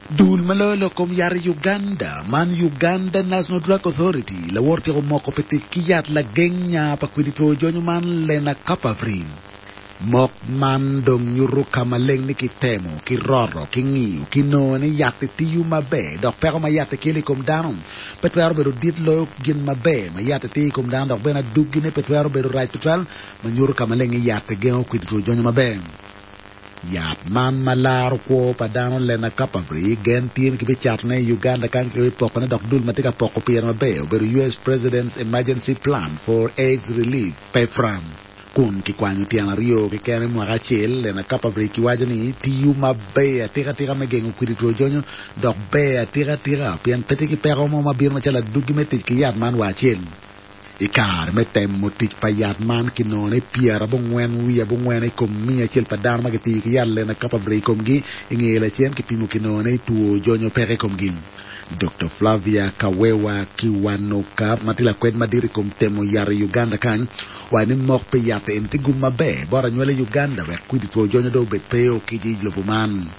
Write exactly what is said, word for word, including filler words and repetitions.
Dul ma loyo lok kom yat i Uganda man Uganda National Drug Authority lawor tyeko moko pi tic ki yat lageng nya pa kwidi two jonyo man Lenacapavir. Mok man dong nyuto ka maleng ni kitemo, kiroto, king'iyo, kinongo ni yat-ti tiyo maber dok peko ma yat-ti kelo i kom dano pe twero bedo dit loyo gin maber ma yat-ti tiyo i kom dano dok bene adugine pe twero bedo rac tutwal ma nyuto ka maleng ni yat-ti gengo kwidi two jonyo maber. Yat man ma laro kwo pa dano Lenacapavir gen tye ni kibicatone i Uganda kany kibipokone dok dul ma tye ka poko pire maber obedo US President's Emergency Plan for AIDS Relief PEPFAR. Kun kikwanyo tyen aryo keken i mwaka acel Lenacapavir kiwaco ni tiyo maber atikatika me gengo kwidi two jonyo dok ber atikatika pien pe tye ki peko mo ma bino macalo adwogi me tic ki yat man wa acel. I kare me temo tic pa yat man kinongo ni pyerabongwen wiye abongwen i kom miya acel pa dano ma gitiyo ki yat Lenacapavir i komgi i ngeye lacen kipimo kinongo ni two jonyo peke i komgi. Dr. Flavia Kawewa Kiwanuka ma tye lakwed madit i kom temo yat i Uganda kany owaco ni mok pi yat eni tye gum maber bot anywali i Uganda wek kwidi two jonyo dong obed pe okic i lobo man.